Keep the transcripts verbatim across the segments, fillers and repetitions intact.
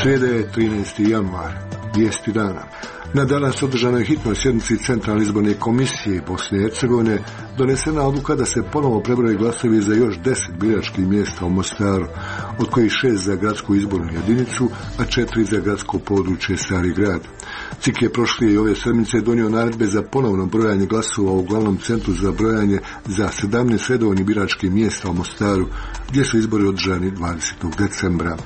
Srijeda je trinaesti januar, vijesti dana. Na danas održanoj hitnoj sjednici Centralne izborne komisije Bosne i Hercegovine donesena odluka da se ponovo prebroje glasovi za još deset biračkih mjesta u Mostaru, od kojih šest za gradsku izbornu jedinicu, a četiri za gradsko područje Stari grad. C I K je prošle i ove sedmice donio naredbe za ponovno brojanje glasova u glavnom centru za brojanje za sedamnaest redovnih biračkih mjesta u Mostaru, gdje su izbori održani dvadesetog decembra.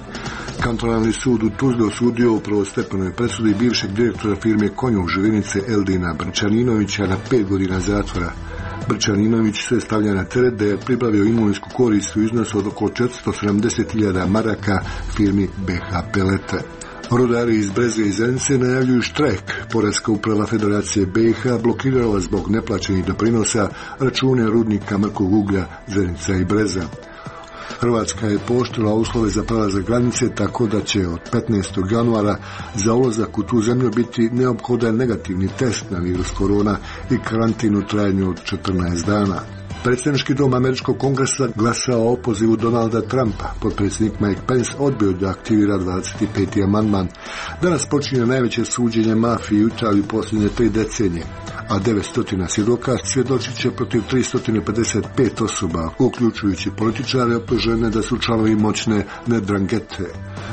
Kantonalni sud u Tuzli osudio u prvostepenoj presudi bivšeg direktora firme Konjuh Živinice Eldina Brčaninovića na pet godina zatvora. Brčaninović se stavlja na teret da je pribavio imovinsku korist u iznosu od oko četiristo sedamdeset hiljada maraka firmi B H Pelete. Rudari iz Breze i Zenice najavljuju štrajk. Poreska uprava Federacije B i H blokirala zbog neplaćenih doprinosa račune rudnika mrkog uglja Zenica i Breza. Hrvatska je pooštrila uslove za prelazak granice tako da će od petnaestog januara za ulazak u tu zemlju biti neophodan negativni test na virus korona i karantin u trajanju od četrnaest dana. Predsjednički dom Američkog kongresa glasao o opozivu Donalda Trumpa. Potpredsjednik Mike Pence odbio da aktivira dvadeset peti amandman. Danas počinje najveće suđenje mafiji u Italiji posljednje tri decenije, a devetsto svjedoka svjedočit će protiv tristo pedeset pet osoba, uključujući političare optužene da su članovi moćne Nedrangete.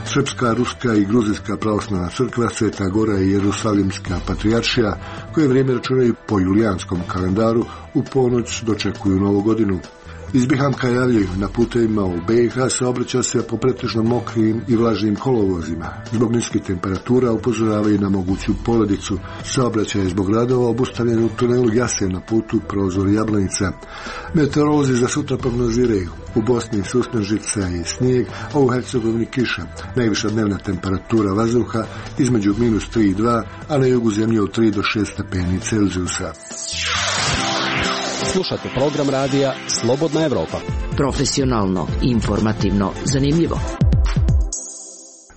Srpska, ruska i gruzijska pravoslavna crkva, Sveta Gora i Jerusalimska patrijaršija, koje vrijeme računaju po julijanskom kalendaru, u ponoć dočekuju Novu godinu. Iz Bihamka javljaju, na putevima u B i H saobraća se po pretežno mokrim i vlažnim kolovozima. Zbog niskih temperatura upozoravaju na moguću poledicu. Saobraćaj je zbog radova obustavljen u tunelu Jasen na putu Prozor Jablanica. Meteorolozi za sutra prognoziraju u Bosni susnežica i snijeg, a u Hercegovini kiša. Najviša dnevna temperatura vazduha između minus tri i dva, a na jugu zemlje od tri do šest stepeni Celzijusa. Slušate program radija Slobodna Evropa. Profesionalno, informativno, zanimljivo.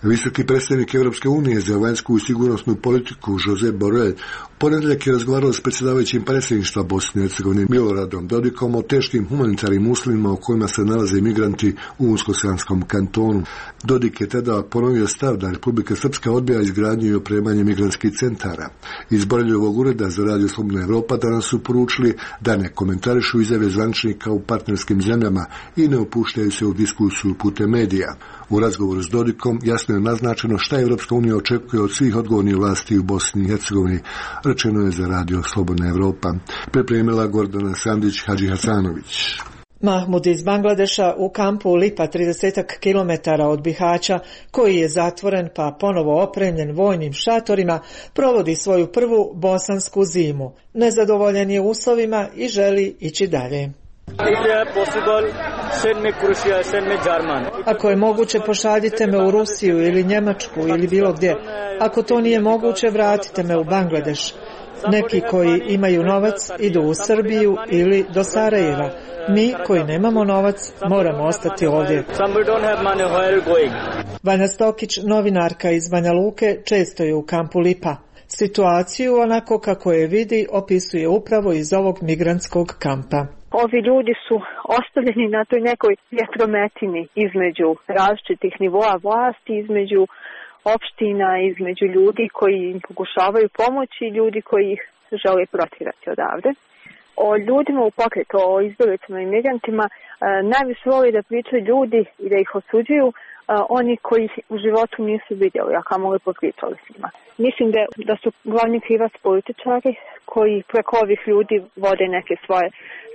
Visoki predstavnik Europske unije za vanjsku i sigurnosnu politiku Josep Borrell u ponedjeljak je razgovarao s predsjedavajućim predsjedništva Bosne i Hercegovine Miloradom Dodikom o teškim humanitarnim uslovima u kojima se nalaze migranti u Unsko-Sanskom kantonu. Dodik je tada ponovio stav da Republika Srpska odbija izgradnju i opremanje migrantskih centara. Iz Borrelljevog ureda za radio Slobodna Evropa danas su poručili da ne komentarišu izjave zvaničnika u partnerskim zemljama i ne upuštaju se u diskusiju putem medija. U razgovoru s Dodikom jasno je naznačeno šta Evropska unija očekuje od svih odgovornih vlasti u Bosni i Hercegovini, rečeno je za radio Slobodna Evropa. Pripremila Gordana Sandić Hadžihasanović. Mahmud iz Bangladeša u kampu Lipa, trideset kilometara od Bihaća, koji je zatvoren pa ponovo opremljen vojnim šatorima, provodi svoju prvu bosansku zimu. Nezadovoljen je uslovima i želi ići dalje. Ako je moguće, pošaljite me u Rusiju ili Njemačku ili bilo gdje. Ako to nije moguće, vratite me u Bangladeš. Neki koji imaju novac idu u Srbiju ili do Sarajeva. Mi koji nemamo novac moramo ostati ovdje. Vanja Stokić, novinarka iz Banja Luke, često je u kampu Lipa. Situaciju onako kako je vidi opisuje upravo iz ovog migrantskog kampa. Ovi ljudi su ostavljeni na toj nekoj vjetrometini između različitih nivoa vlasti, između opština, između ljudi koji im pokušavaju pomoći i ljudi koji ih žele protjerati odavde. O ljudima u pokretu, o izbjeglicama i migrantima, najviše voli da pričaju ljudi i da ih osuđuju oni koji u životu nisu vidjeli, a kamoli popričali s njima. Mislim da, da su glavni krivac političari koji preko ovih ljudi vode neke svoje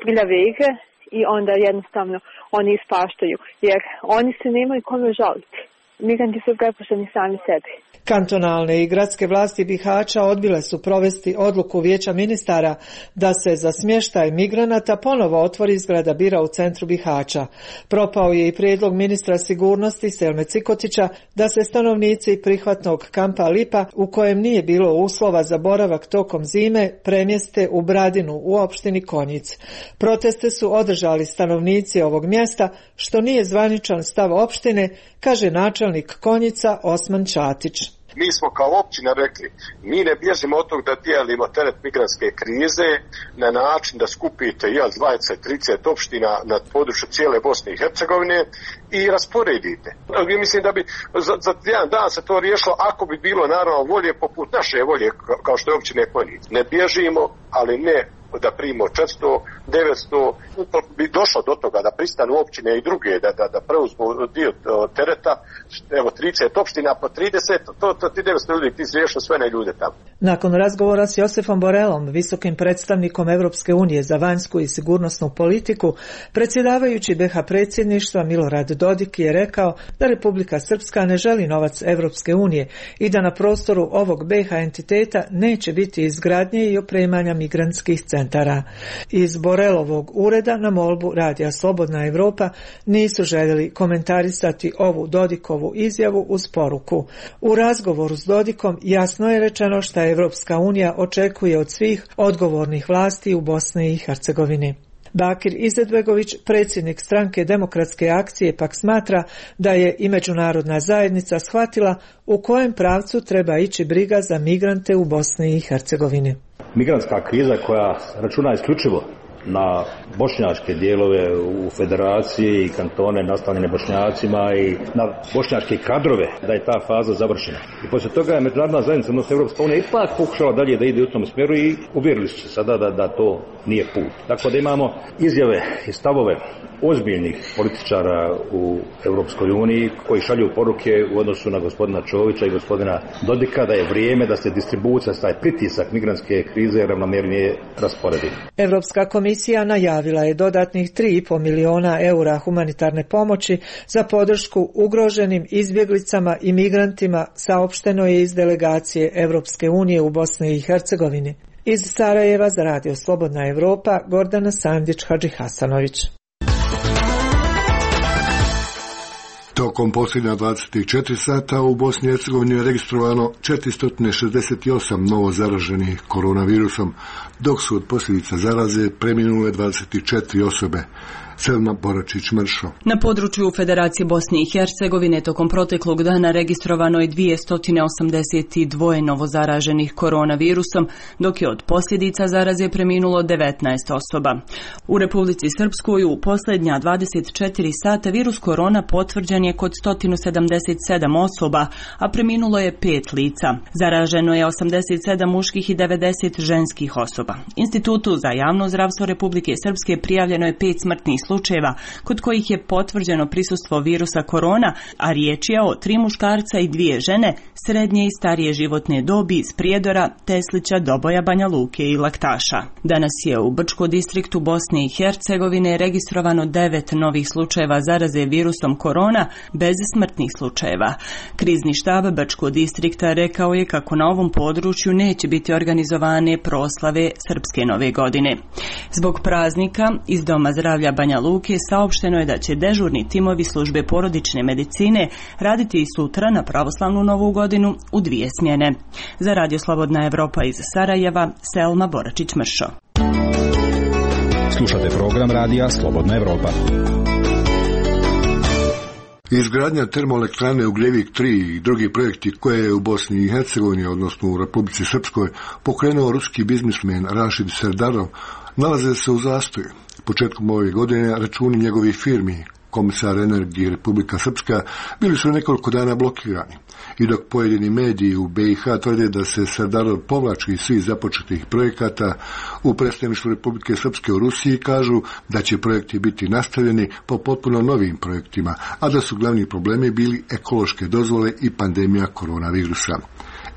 prljave igre i onda jednostavno oni ispaštaju, jer oni se nemaju kome žaliti. Migranti su prepušteni sami sebi. Kantonalne i gradske vlasti Bihaća odbile su provesti odluku Vijeća ministara da se za smještaj migranata ponovo otvori zgrada bira u centru Bihaća. Propao je i prijedlog ministra sigurnosti Selme Cikotića da se stanovnici prihvatnog kampa Lipa, u kojem nije bilo uslova za boravak tokom zime, premjeste u Bradinu u opštini Konjic. Proteste su održali stanovnici ovog mjesta, što nije zvaničan stav opštine, kaže načelnik Konjica Osman Čatić. Mi smo kao općina rekli, mi ne bježimo od tog da dijelimo teret migrantske krize na način da skupite jel, dvadeset trideset opština na području cijele Bosne i Hercegovine i rasporedite. Mislim da bi za, za jedan dan se to riješilo ako bi bilo naravno volje poput naše volje kao što je općine Konjic. Ne bježimo, ali ne da primimo četiristo, devetsto, ukoliko bi došlo do toga da pristanu općine i druge, da, da, da preuzmu dio tereta, evo trideset opština po trideset, to, to ti devetsto ljudi, ti riješio sve ne ljude tamo. Nakon razgovora s Josefom Borelom, visokim predstavnikom Evropske unije za vanjsku i sigurnosnu politiku, predsjedavajući be ha predsjedništva Milorad Dodik je rekao da Republika Srpska ne želi novac Evropske unije i da na prostoru ovog be ha entiteta neće biti izgradnje i opremanja migrantskih centara. Iz Borelovog ureda na molbu Radija Slobodna Evropa nisu željeli komentarisati ovu Dodikovu izjavu uz poruku. U razgovoru s Dodikom jasno je rečeno šta Evropska unija očekuje od svih odgovornih vlasti u Bosni i Hercegovini. Bakir Izetbegović, predsjednik stranke Demokratske akcije, pak smatra da je i međunarodna zajednica shvatila u kojem pravcu treba ići briga za migrante u Bosni i Hercegovini. Migrantska kriza koja računa isključivo na bošnjačke dijelove u federaciji i kantone nastavljene Bošnjacima i na bošnjačke kadrove, da je ta faza završena. I poslije toga je međunarodna zajednica, odnosno Evropska unija, ipak pokušala dalje da ide u tom smjeru i uvjerili su se sada da, da to nije put. Tako da imamo izjave i stavove ozbiljnih političara u Europskoj uniji koji šalju poruke u odnosu na gospodina Čovića i gospodina Dodika da je vrijeme da se distribucija, taj pritisak migrantske krize ravnomjernije rasporedi. Europska komisija najavila je dodatnih tri i pol miliona eura humanitarne pomoći za podršku ugroženim izbjeglicama i migrantima, saopšteno je iz delegacije Europske unije u Bosni i Hercegovini. Iz Sarajeva za Radio Slobodna Evropa, Gordana Sandić-Hadžihasanović. Tokom posljednja dvadeset četiri sata u Bosni i Hercegovini je registrovano četiristo šezdeset osam novo zaraženih koronavirusom, dok su od posljedica zaraze preminule dvadeset četiri osobe. Selma Boračić-Mršo. Na području Federacije Bosne i Hercegovine tokom proteklog dana registrovano je dvjesto osamdeset dva novozaraženih koronavirusom, dok je od posljedica zaraze preminulo devetnaest osoba. U Republici Srpskoj u posljednja dvadeset četiri sata virus korona potvrđen je kod sto sedamdeset sedam osoba, a preminulo je pet lica. Zaraženo je osamdeset sedam muških i devedeset ženskih osoba. Institutu za javno zdravstvo Republike Srpske prijavljeno je pet smrtnih slučajeva, kod kojih je potvrđeno prisustvo virusa korona, a riječ je o tri muškarca i dvije žene, srednje i starije životne dobi iz Prijedora, Teslića, Doboja, Banja Luke i Laktaša. Danas je u Brčko distriktu Bosne i Hercegovine registrovano devet novih slučajeva zaraze virusom korona bez smrtnih slučajeva. Krizni štab Brčko distrikta rekao je kako na ovom području neće biti organizovane proslave Srpske nove godine. Zbog praznika iz Doma zdravlja Banja Luke saopšteno je da će dežurni timovi službe porodične medicine raditi i sutra na pravoslavnu novu godinu u dvije smjene. Za Radio Slobodna Evropa iz Sarajeva, Selma Boračić-Mršo. Slušate program Radija Slobodna Evropa. Izgradnja termoelektrane Ugljevik tri i drugi projekti koje je u Bosni i Hercegovini, odnosno u Republici Srpskoj, pokrenuo ruski biznismen Rašid Serdarov, nalaze se u zastoju. Početkom ove godine računi njegovih firmi, Komisar energije Republika Srpska, bili su nekoliko dana blokirani. I dok pojedini mediji u be i ha tvrde da se Serdarov povlači iz svih započetih projekata, u predstavništvu Republike Srpske u Rusiji kažu da će projekti biti nastavljeni po potpuno novim projektima, a da su glavni problemi bili ekološke dozvole i pandemija koronavirusa.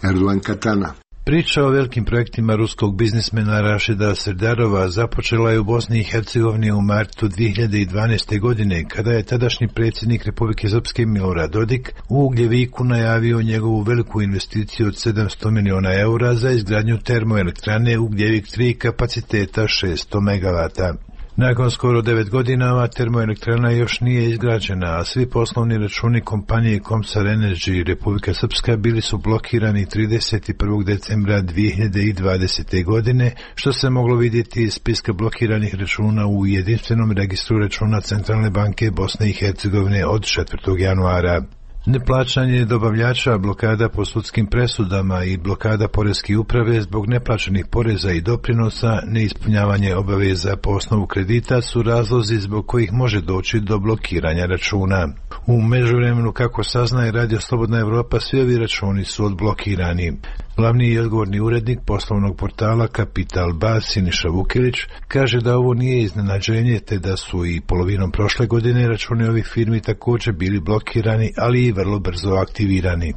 Erdogan Katana. Priča o velikim projektima ruskog biznismena Rašida Serdarova započela je u Bosni i Hercegovini u martu dvije hiljade dvanaeste. godine, kada je tadašnji predsjednik Republike Srpske Milorad Dodik u Ugljeviku najavio njegovu veliku investiciju od sedamsto miliona eura za izgradnju termoelektrane Ugljevik tri kapaciteta šesto megavata. Nakon skoro devet godina ova termoelektrana još nije izgrađena, a svi poslovni računi kompanije Komsar Energy Republika Srpska bili su blokirani trideset prvog decembra dvije hiljade dvadesete. godine, što se moglo vidjeti iz spiska blokiranih računa u jedinstvenom registru računa Centralne banke Bosne i Hercegovine od četvrtog januara. Neplaćanje dobavljača, blokada po sudskim presudama i blokada poreske uprave zbog neplaćenih poreza i doprinosa, neispunjavanje obaveza po osnovu kredita su razlozi zbog kojih može doći do blokiranja računa. U međuvremenu, kako saznaje Radio Slobodna Evropa, svi ovi računi su odblokirani. Glavni i odgovorni urednik poslovnog portala Kapital Bas Siniša Vukilić kaže da ovo nije iznenađenje, te da su i polovinom prošle godine računi ovih firmi također bili blokirani, ali i vrlo brzo aktivirani.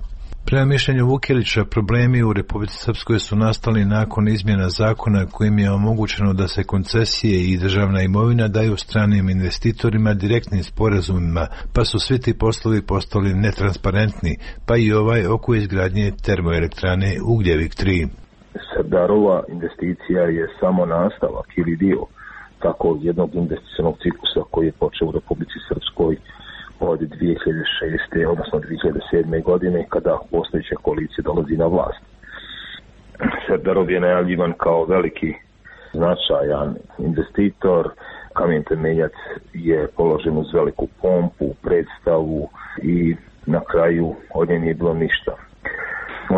Prema mišljenju Vukilića, problemi u Republici Srpskoj su nastali nakon izmjena zakona kojim je omogućeno da se koncesije i državna imovina daju stranim investitorima direktnim sporazumima, pa su svi ti poslovi postali netransparentni, pa i ovaj oko izgradnje termoelektrane Ugljevik tri. Serdarova investicija je samo nastavak ili dio takvog jednog investicionog ciklusa koji je počeo u Republici Srpskoj od dvije hiljade šeste. odnosno dvije hiljade sedme. godine kada postojeća koalicija dolazi na vlast. Serdarov je najavljivan kao veliki značajan investitor. Kamen temeljac je položen uz veliku pompu, predstavu i na kraju od nje nije bilo ništa.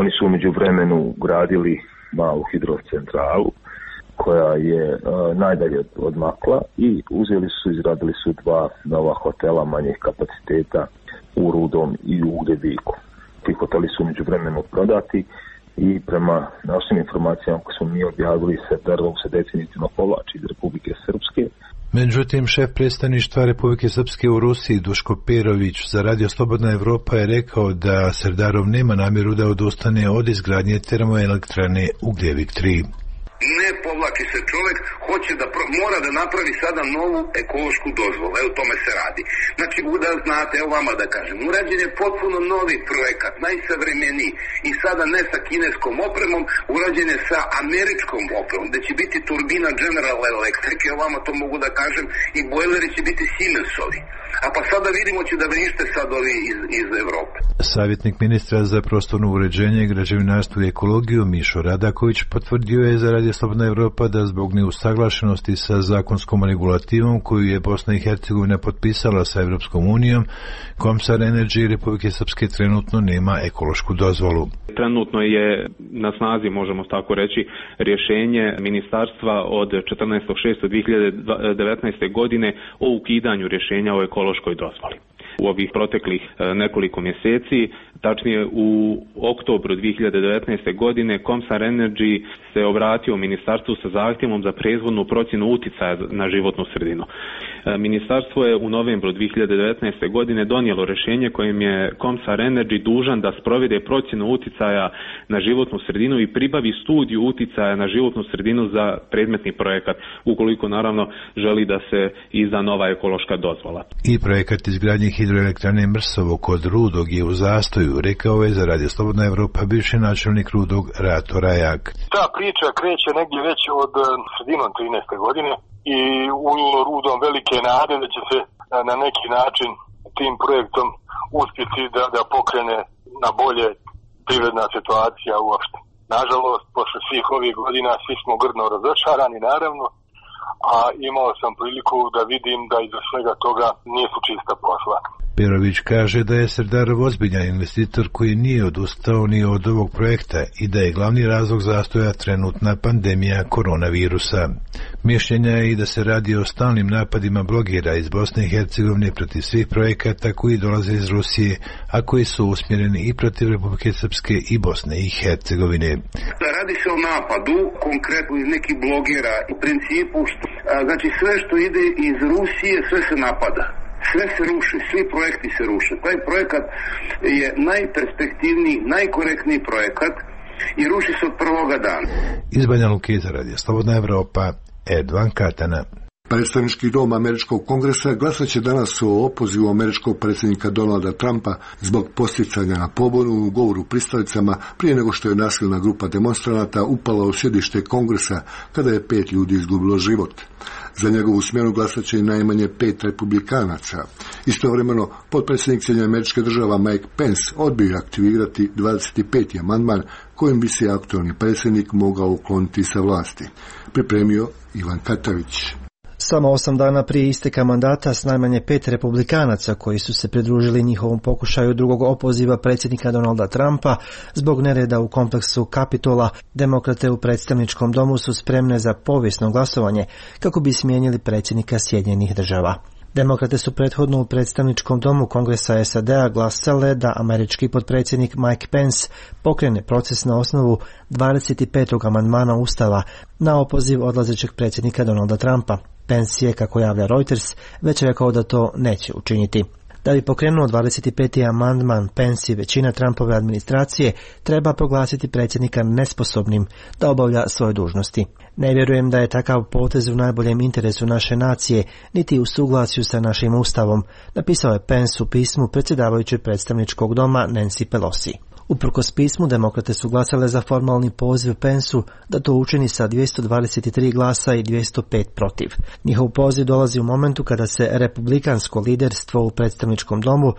Oni su umeđu vremenu gradili malu hidrocentralu koja je uh, najdalje odmakla i uzeli su, izradili su dva nova hotela manjih kapaciteta u Rudom i u Ugljeviku. Ti hoteli su među vremenu prodati i prema našim informacijama koje smo mi objavili, Serdarov se definitivno povlači iz Republike Srpske. Međutim, šef predstavništva Republike Srpske u Rusiji Duško Perović za Radio Slobodna Evropa je rekao da Serdarov nema namjeru da odustane od izgradnje termoelektrane Ugljevik tri. Ne povlači se čovjek, hoće da pro, mora da napravi sada novu ekološku dozvolu. Evo tome se radi. Znači, da znate, evo vama da kažem, urađen je potpuno novi projekat, najsavremeniji i sada ne sa kineskom opremom, urađen je sa američkom opremom, gde će biti turbina General Electric, evo vama to mogu da kažem, i bojleri će biti Siemensovi. A pa sada vidimo će da vrište sad ovi iz, iz Evrope. Savjetnik ministra za prostorno uređenje, građevinarstvo i ekologiju Mišo Radaković potvrdio je za Radio Slobodna Evropa da zbog neusaglašenosti sa zakonskom regulativom koju je Bosna i Hercegovina potpisala sa Evropskom unijom, Komsar Energy Republike Srpske trenutno nema ekološku dozvolu. Trenutno je na snazi, možemo tako reći, rješenje ministarstva od četrnaestog šestog dvije hiljade devetnaeste. godine o ukidanju rješenja o ekološkoj dozvoli. U ovih proteklih nekoliko mjeseci, tačnije u oktobru dvije hiljade devetnaeste. godine, Komsar Energy se obratio ministarstvu sa zahtjevom za prethodnu procjenu uticaja na životnu sredinu. Ministarstvo je u novembru dvije hiljade devetnaeste. godine donijelo rješenje kojim je Komsar Energy dužan da sprovede procjenu uticaja na životnu sredinu i pribavi studiju uticaja na životnu sredinu za predmetni projekat, ukoliko naravno želi da se izda nova ekološka dozvola. I projekat izgradnje hidroelektrane Mrsovo kod Rudog je u zastoju, rekao je za Radio Slobodna Evropa bivši načelnik Rudog Rato Rajak. Ta priča kreće negdje već od sredinom trinaeste. godine i unijelo Rudom velike nade da će se na neki način tim projektom uspjeti da, da pokrene na bolje privredna situacija uopšte. Nažalost, posle svih ovih godina svi smo grdno razočarani, naravno, a imao sam priliku da vidim da iza svega toga nije su čista posla. Perović kaže da je Serdarov ozbiljan investitor koji nije odustao ni od ovog projekta i da je glavni razlog zastoja trenutna pandemija koronavirusa. Mišljenja je i da se radi o stalnim napadima blogera iz Bosne i Hercegovine protiv svih projekata koji dolaze iz Rusije, a koji su usmjereni i protiv Republike Srpske i Bosne i Hercegovine. Radi se o napadu, konkretno iz nekih blogera, u principu, znači sve što ide iz Rusije, sve se napada. Sve se ruši, svi projekti se ruše. Taj projekat je najperspektivniji, najkorektniji projekat i ruši se od prvoga dana. Iz Banja Luke za Radio Slobodna Evropa, Edvan Katana. Predstavnički dom Američkog kongresa glasat će danas o opozivu američkog predsjednika Donalda Trumpa zbog posticanja na pobunu u govoru pristalicama prije nego što je nasilna grupa demonstranata upala u sjedište kongresa kada je pet ljudi izgubilo život. Za njegovu smjenu glasat će i najmanje pet republikanaca. Istovremeno, potpredsjednik Sjedinjenih Američkih Država Mike Pence odbio aktivirati dvadeset peti amandman kojim bi se aktualni predsjednik mogao ukloniti sa vlasti. Pripremio Ivan Katavić. Samo osam dana prije isteka mandata s najmanje pet republikanaca koji su se pridružili njihovom pokušaju drugog opoziva predsjednika Donalda Trumpa zbog nereda u kompleksu Kapitola, demokrate u predstavničkom domu su spremne za povijesno glasovanje kako bi smijenili predsjednika Sjedinjenih Država. Demokrate su prethodno u predstavničkom domu Kongresa S A D-a glasale da američki potpredsjednik Mike Pence pokrene proces na osnovu dvadeset petog amandmana Ustava na opoziv odlazećeg predsjednika Donalda Trumpa. Pence je, kako javlja Reuters, već rekao da to neće učiniti. Da bi pokrenuo dvadeset peti amandman, Pence i većina Trumpove administracije treba proglasiti predsjednika nesposobnim da obavlja svoje dužnosti. Ne vjerujem da je takav potez u najboljem interesu naše nacije, niti u suglasju sa našim ustavom, napisao je Pence u pismu predsjedavajućeg predstavničkog doma Nancy Pelosi. Uprkos pismu, demokrate su glasale za formalni poziv Pensu da to učini sa dvjesto dvadeset tri glasa i dvjesto pet protiv. Njihov poziv dolazi u momentu kada se republikansko liderstvo u predstavničkom domu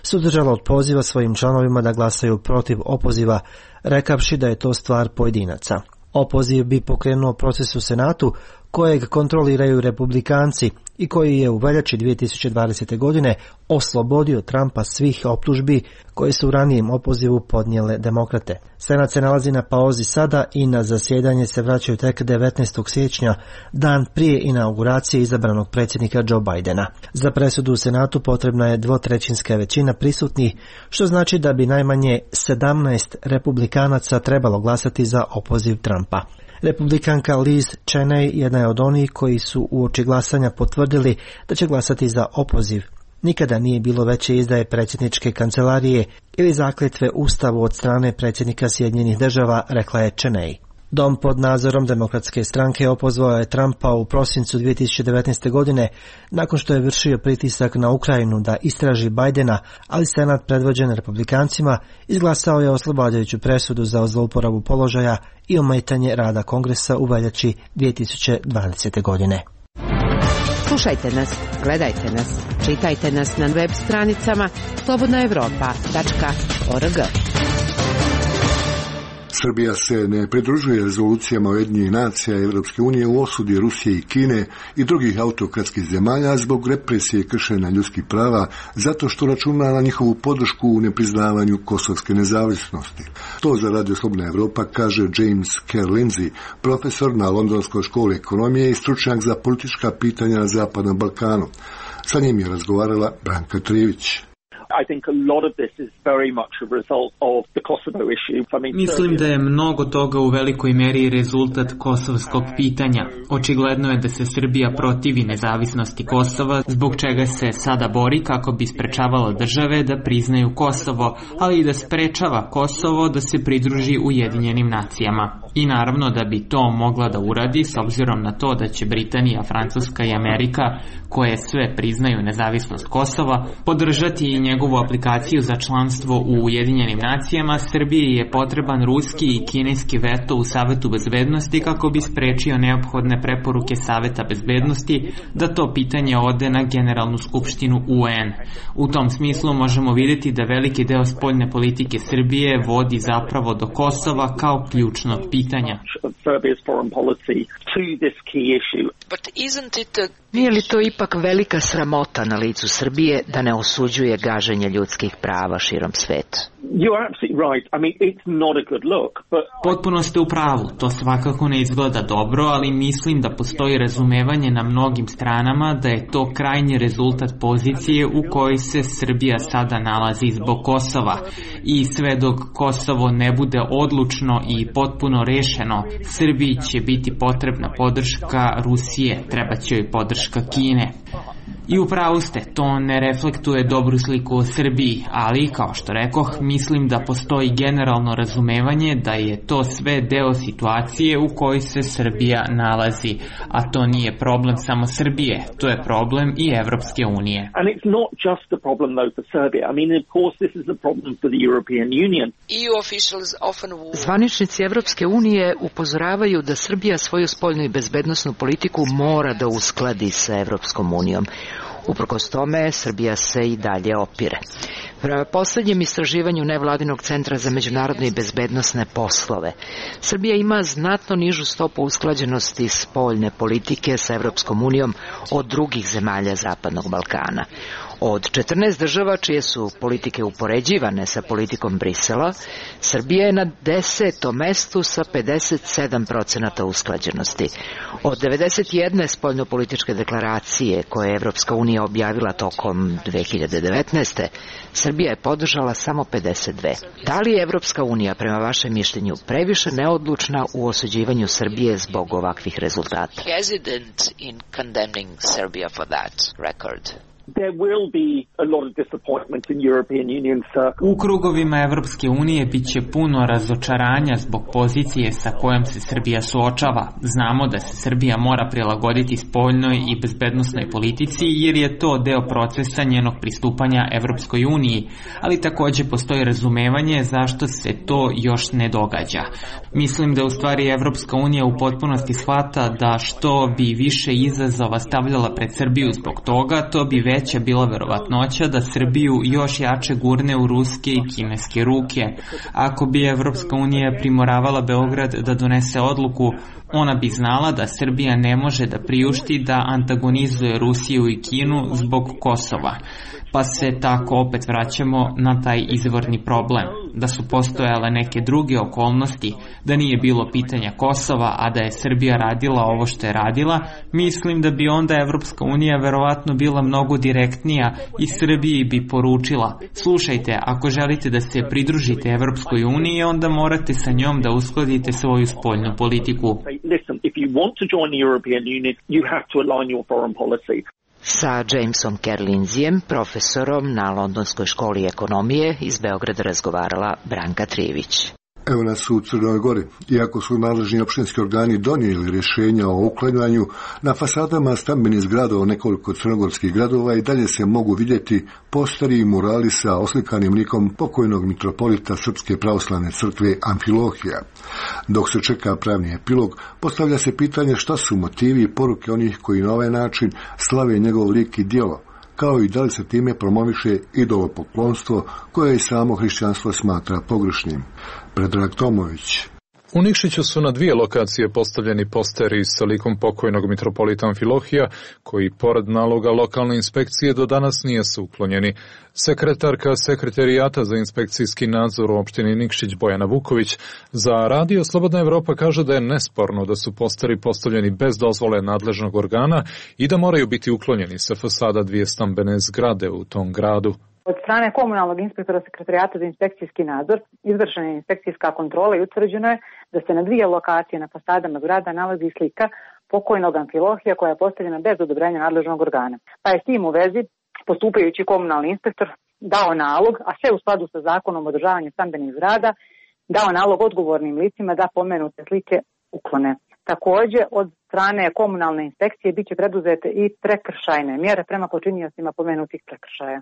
suzdržalo od poziva svojim članovima da glasaju protiv opoziva, rekavši da je to stvar pojedinaca. Opoziv bi pokrenuo proces u Senatu kojeg kontroliraju republikanci i koji je u veljači dvije tisuće dvadesete. godine oslobodio Trumpa svih optužbi koje su u ranijem opozivu podnijele demokrate. Senat se nalazi na pauzi sada i na zasjedanje se vraćaju tek devetnaestog siječnja, dan prije inauguracije izabranog predsjednika Joe Bidena. Za presudu u Senatu potrebna je dvotrećinska većina prisutnih, što znači da bi najmanje sedamnaest republikanaca trebalo glasati za opoziv Trumpa. Republikanka Liz Cheney jedna je od onih koji su uoči glasanja potvrdili da će glasati za opoziv. Nikada nije bilo veće izdaje predsjedničke kancelarije ili zakletve ustavu od strane predsjednika Sjedinjenih Država, rekla je Cheney. Dom pod nadzorom demokratske stranke opozvao je Trumpa u prosincu dvije tisuće devetnaeste. godine nakon što je vršio pritisak na Ukrajinu da istraži Bidena, ali Senat predvođen republikancima izglasao je oslobađajuću presudu za zlouporabu položaja i ometanje rada Kongresa u veljači dvije tisuće dvadesete. godine. Slušajte nas, gledajte nas, čitajte nas na web stranicama slobodna evropa tačka org. Srbija se ne pridružuje rezolucijama Ujedinjenih nacija i Europske unije u osudi Rusije i Kine i drugih autokratskih zemalja zbog represije i kršenja ljudskih prava, zato što računa na njihovu podršku u nepriznavanju kosovske nezavisnosti. To za Radio Slobodna Evropa kaže James Kerr Lindsay, profesor na Londonskoj školi ekonomije i stručnjak za politička pitanja na Zapadnom Balkanu. Sa njim je razgovarala Branka Trivić. I think a lot of this is very much a result of the Kosovo issue. I mean, Mislim da je mnogo toga u velikoj meri rezultat kosovskog pitanja. Očigledno je da se Srbija protivi nezavisnosti Kosova, zbog čega se sada bori kako bi sprečavala države da priznaju Kosovo, ali i da sprečava Kosovo da se pridruži Ujedinjenim nacijama. I naravno da bi to mogla da uradi s obzirom na to da će Britanija, Francuska i Amerika, koje sve priznaju nezavisnost Kosova, podržati i njegovu aplikaciju za članstvo u Ujedinjenim nacijama. Srbiji je potreban ruski i kineski veto u Savetu bezbednosti kako bi sprečio neophodne preporuke Saveta bezbednosti da to pitanje ode na Generalnu skupštinu U N. U tom smislu možemo vidjeti da veliki deo spoljne politike Srbije vodi zapravo do Kosova kao ključnog pitanja. Nije li to ipak velika sramota na licu Srbije da ne osuđuje gaženje ljudskih prava širom sveta? Potpuno ste u pravu, to svakako ne izgleda dobro, ali mislim da postoji razumevanje na mnogim stranama da je to krajnji rezultat pozicije u kojoj se Srbija sada nalazi zbog Kosova. I sve dok Kosovo ne bude odlučno i potpuno rešeno, Srbiji će biti potrebna podrška Rusije, treba će joj podrška Kine. I upravo ste, to ne reflektuje dobru sliku o Srbiji, ali, kao što rekoh, mislim da postoji generalno razumevanje da je to sve deo situacije u kojoj se Srbija nalazi, a to nije problem samo Srbije, to je problem i Evropske unije. Zvaničnici Evropske unije upozoravaju da Srbija svoju spoljnu i bezbednosnu politiku mora da uskladi sa Evropskom unijom. Uprkos tome, Srbija se i dalje opire. Prema posljednjem istraživanju Nevladinog centra za međunarodne i bezbednosne poslove, Srbija ima znatno nižu stopu usklađenosti spoljne politike sa Evropskom unijom od drugih zemalja Zapadnog Balkana. Od četrnaest država čije su politike upoređivane sa politikom Brisela, Srbija je na desetom mestu sa pedeset sedam procenata usklađenosti. Od devedeset jedne spoljnopolitičke deklaracije koje je Evropska unija objavila tokom dve hiljade devetnaeste. Srbija je podržala samo pedeset dve. Da li je Evropska unija, prema vašem mišljenju, previše neodlučna u osuđivanju Srbije zbog ovakvih rezultata? Hesitant in condemning Serbia for that record. There will be a lot of disappointment in European Union circles. U krugovima Evropske unije biće puno razočaranja zbog pozicije sa kojom se Srbija suočava. Znamo da se Srbija mora prilagoditi spoljnoj i bezbednosnoj politici jer je to deo procesa njenog pristupanja Evropskoj uniji, ali takođe postoji razumevanje zašto se to još ne događa. Mislim da u stvari Evropska unija u potpunosti shvata da što bi više izazova stavljala pred Srbiju zbog toga, to bi već veća bila verovatnoća da Srbiju još jače gurne u ruske i kineske ruke. Ako bi Evropska unija primoravala Beograd da donese odluku, ona bi znala da Srbija ne može da priušti da antagonizuje Rusiju i Kinu zbog Kosova. Pa se tako opet vraćamo na taj izvorni problem, da su postojale neke druge okolnosti, da nije bilo pitanja Kosova, a da je Srbija radila ovo što je radila, mislim da bi onda Evropska unija verovatno bila mnogo direktnija i Srbiji bi poručila: slušajte, ako želite da se pridružite Evropskoj uniji, onda morate sa njom da uskladite svoju spoljnu politiku. Listen, if you want to join the European Union, you have to align your foreign policy. Sa Jamesom Kerlinzijem, profesorom na Londonskoj školi ekonomije, iz Beograda razgovarala Branka Trijević. Evo nas u Crnoj Gori. Iako su nadležni opštinski organi donijeli rješenja o uklanjanju, na fasadama stambenih zgrada u nekoliko crnogorskih gradova i dalje se mogu vidjeti posteri i murali sa oslikanim likom pokojnog mitropolita Srpske pravoslavne crkve Amfilohija. Dok se čeka pravni epilog, postavlja se pitanje šta su motivi i poruke onih koji na ovaj način slave njegov lik i djelo, kao i da li se time promoviše idolopoklonstvo koje i samo hrišćanstvo smatra pogrešnim. Predrag Tomović. U Nikšiću su na dvije lokacije postavljeni posteri sa likom pokojnog mitropolita Amfilohija, koji pored naloga lokalne inspekcije do danas nije su uklonjeni. Sekretarka Sekretarijata za inspekcijski nadzor u opštini Nikšić Bojana Vuković za Radio Slobodna Evropa kaže da je nesporno da su posteri postavljeni bez dozvole nadležnog organa i da moraju biti uklonjeni sa fasada dvije stambene zgrade u tom gradu. Od strane komunalnog inspektora Sekretarijata za inspekcijski nadzor izvršena je inspekcijska kontrola i utvrđeno je da se na dvije lokacije na fasadama zgrada nalazi slika pokojnog Amfilohija koja je postavljena bez odobrenja nadležnog organa. Pa je s tim u vezi postupajući komunalni inspektor dao nalog, a sve u skladu sa zakonom o održavanju stambenih zgrada, dao nalog odgovornim licima da pomenute slike uklone. Također, od strane komunalne inspekcije biće preduzete i prekršajne mjere prema počiniocima pomenutih prekršaja.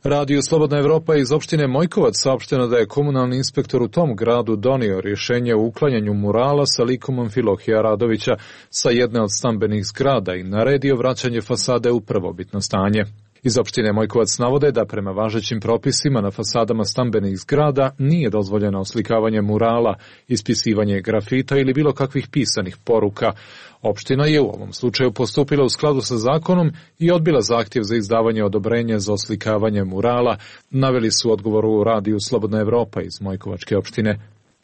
Radio Slobodna Evropa iz opštine Mojkovac saopšteno da je komunalni inspektor u tom gradu donio rješenje o uklanjanju murala sa likom Amfilohija Radovića sa jedne od stambenih zgrada i naredio vraćanje fasade u prvobitno stanje. Iz opštine Mojkovac navode da prema važećim propisima na fasadama stambenih zgrada nije dozvoljeno oslikavanje murala, ispisivanje grafita ili bilo kakvih pisanih poruka. Opština je u ovom slučaju postupila u skladu sa zakonom i odbila zahtjev za izdavanje odobrenja za oslikavanje murala, naveli su odgovoru u Radiju Slobodna Evropa iz Mojkovačke opštine.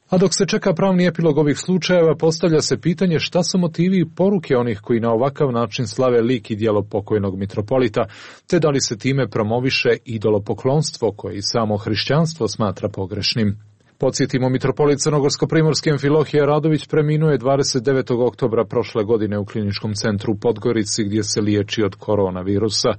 A dok se čeka pravni epilog ovih slučajeva, postavlja se pitanje šta su motivi i poruke onih koji na ovakav način slave lik i djelo pokojnog mitropolita, te da li se time promoviše idolopoklonstvo koje i samo hrišćanstvo smatra pogrešnim. Podsjetimo, mitropolit crnogorsko-primorski Amfilohije Radović preminuo je dvadeset devetog oktobra prošle godine u kliničkom centru u Podgorici gdje se liječi od koronavirusa.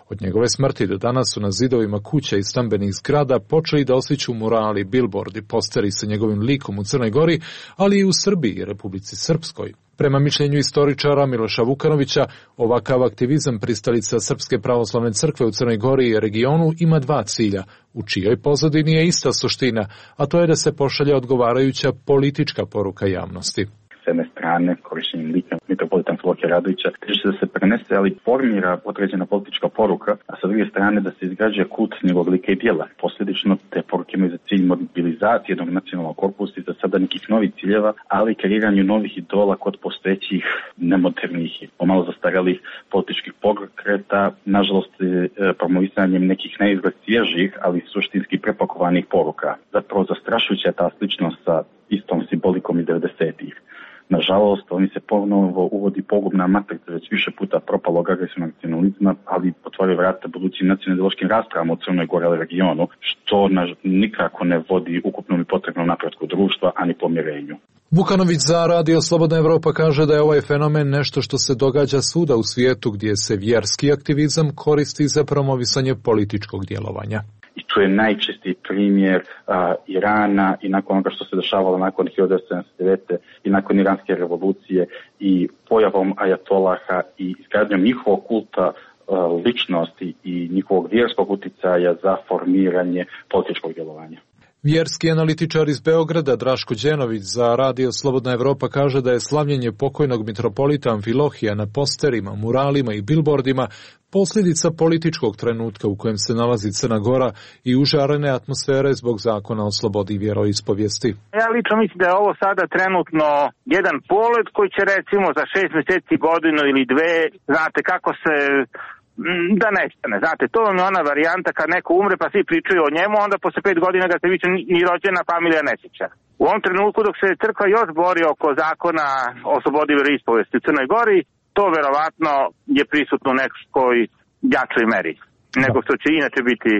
Od njegove smrti do danas su na zidovima kuća i stambenih zgrada počeli da osliću murali, bilbordi, posteri sa njegovim likom u Crnoj Gori, ali i u Srbiji i Republici Srpskoj. Prema mišljenju istoričara Miloša Vukanovića, ovakav aktivizam pristalica Srpske pravoslavne crkve u Crnoj Gori i regionu ima dva cilja, u čijoj pozadini je ista suština, a to je da se pošalje odgovarajuća politička poruka javnosti. jedne strane, korišćenjem lika mitropolita Amfilohija Radovića, teži se da se prenese, ali formira određena politička poruka, a sa druge strane da se izgrađuje kult njegovog lika i djela. Posljedično te poruke imaju za cilj mobilizacije jednog nacionalnog korpusa i za sada nekih novih ciljeva, ali i kreiranju novih idola kod postojećih nemodernih i pomalo zastarelih političkih pokreta, nažalost promovisanjem nekih neizgled svježih, ali suštinski prepakovanih poruka. Zapravo zastrašujuća je ta sličnost sa istom simbolikom i devedesetih. Nažalost, oni se ponovo uvodi pogubna matrica već više puta propalog agresivnog nacionalizma, ali otvaraju vrata budućim nacionalističkim raspravama u Crnoj Gori i regionu, što nikako ne vodi ukupnom i potrebnom napretku društva, ani pomirenju. Vukanović za Radio Slobodna Evropa kaže da je ovaj fenomen nešto što se događa svuda u svijetu gdje se vjerski aktivizam koristi za promovisanje političkog djelovanja. I tu je najčistiji primjer a, Irana i nakon onoga što se dešavalo nakon hiljadu devetsto sedamdeset devete i nakon iranske revolucije i pojavom ajatolaha i izgradnjom njihovog kulta a, ličnosti i njihovog vjerskog uticaja za formiranje političkog djelovanja. Vjerski analitičar iz Beograda Draško Đenović za Radio Slobodna Evropa kaže da je slavljenje pokojnog mitropolita Amfilohija na posterima, muralima i bilbordima posljedica političkog trenutka u kojem se nalazi Crna Gora i užarene atmosfere zbog zakona o slobodi vjeroispovijesti. Ja lično mislim da je ovo sada trenutno jedan polet koji će recimo za šest mjeseci, godinu ili dve, znate kako se da nestane. Znate, to je ona varijanta kad neko umre pa svi pričaju o njemu, onda posle pet godina ga se više ni rođena familija ne sjeća. U ovom trenutku dok se crkva još bori oko zakona o slobodi vjeroispovijesti u Crnoj Gori, to verovatno je prisutno u nekoj jačoj meri nego što će inače biti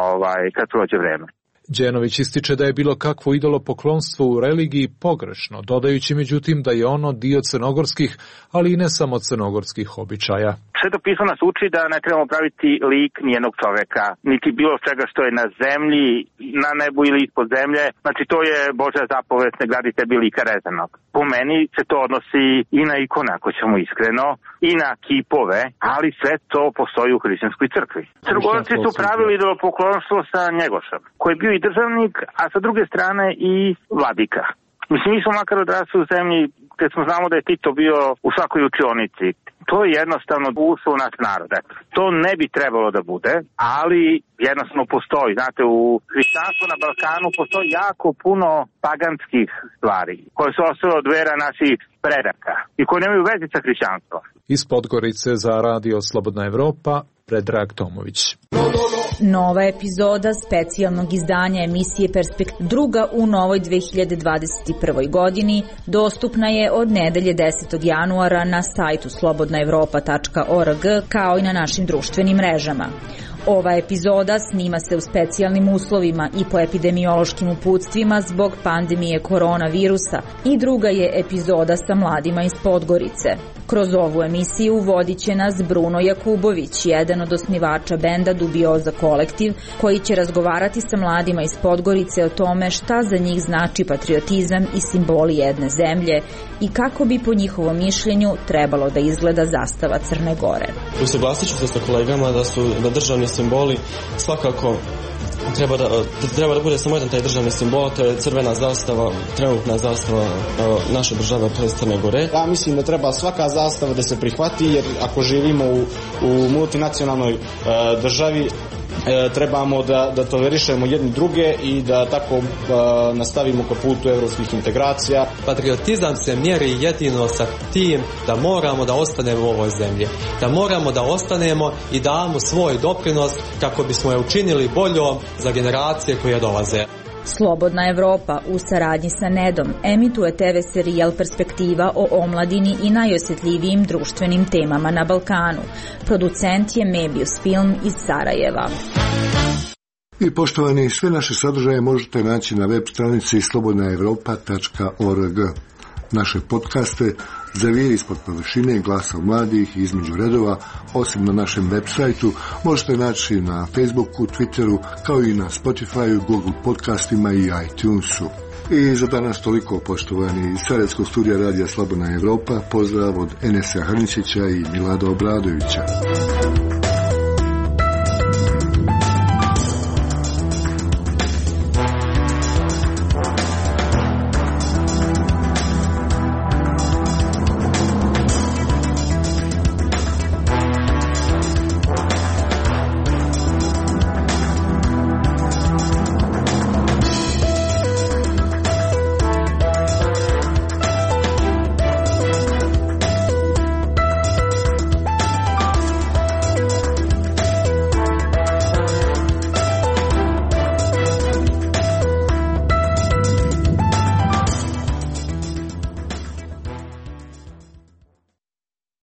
ovaj, kad prođe vreme. Đenović ističe da je bilo kakvo idolopoklonstvo u religiji pogrešno, dodajući međutim da je ono dio crnogorskih, ali i ne samo crnogorskih običaja. Sveto pismo nas uči da ne trebamo praviti lik nijednog čoveka, niti bilo čega što je na zemlji, na nebu ili ispod zemlje. Znači to je Božja zapovest, ne gradi tebi lika rezanog. Po meni se to odnosi i na ikone, ako ćemo iskreno, i na kipove, ali sve to postoji u hrišćanskoj crkvi. Crnogorci su pravili idolopoklonstvo sa Njegošem, koji je bio i državnik, a sa druge strane i vladika. Mislim, mi smo makar odrasli u zemlji kad smo znamo da je Tito bio u svakoj učionici. To je jednostavno ušlo u naš narod. Eto. To ne bi trebalo da bude, ali jednostavno postoji. Znate, u hrišćanstvu na Balkanu postoji jako puno paganskih stvari koje su ostale od vera naših predaka i koje nemaju veze sa hrišćanstvom. Iz Podgorice za Radio Slobodna Evropa, Predrag Tomović. Nova epizoda specijalnog izdanja emisije Perspektiva, druga u novoj dve hiljade dvadeset prvoj. godini, dostupna je od nedelje desetog januara na sajtu slobodna evropa tačka org kao i na našim društvenim mrežama. Ova epizoda snima se u specijalnim uslovima i po epidemiološkim uputstvima zbog pandemije koronavirusa i druga je epizoda sa mladima iz Podgorice. Kroz ovu emisiju vodit će nas Bruno Jakubović, jedan od osnivača benda Dubioza kolektiv, koji će razgovarati sa mladima iz Podgorice o tome šta za njih znači patriotizam i simboli jedne zemlje i kako bi po njihovom mišljenju trebalo da izgleda zastava Crne Gore. Usaglasit ću se sa kolegama da su da državni simboli svakako treba da, treba da bude samo jedan taj državni simbol, to je crvena zastava, trenutna zastava naše države tj. Crne Gore. Ja mislim da treba svaka zastava da se prihvati, jer ako živimo u, u multinacionalnoj uh, državi, E, trebamo da, da tolerišemo jedni druge i da tako e, nastavimo ka putu evropskih integracija. Patriotizam se mjeri jedino sa tim da moramo da ostanemo u ovoj zemlji, da moramo da ostanemo i damo svoj doprinos kako bismo je učinili boljom za generacije koje dolaze. Slobodna Evropa u saradnji sa Nedom emituje te ve serijal Perspektiva o omladini i najosjetljivijim društvenim temama na Balkanu. Producent je Mebius Film iz Sarajeva. I poštovani, sve naše sadržaje možete naći na web stranici slobodna evropa tačka org. Naše podcaste Zavijeri ispod površine, Glasa mladih i Između redova, osim na našem web sajtu, možete naći na Facebooku, Twitteru, kao i na Spotifyu, Google podcastima i iTunesu. I za danas toliko, poštovani, iz Sarajevskog studija Radija Slobodna Evropa, pozdrav od Enesa Hrničića i Milada Obradovića.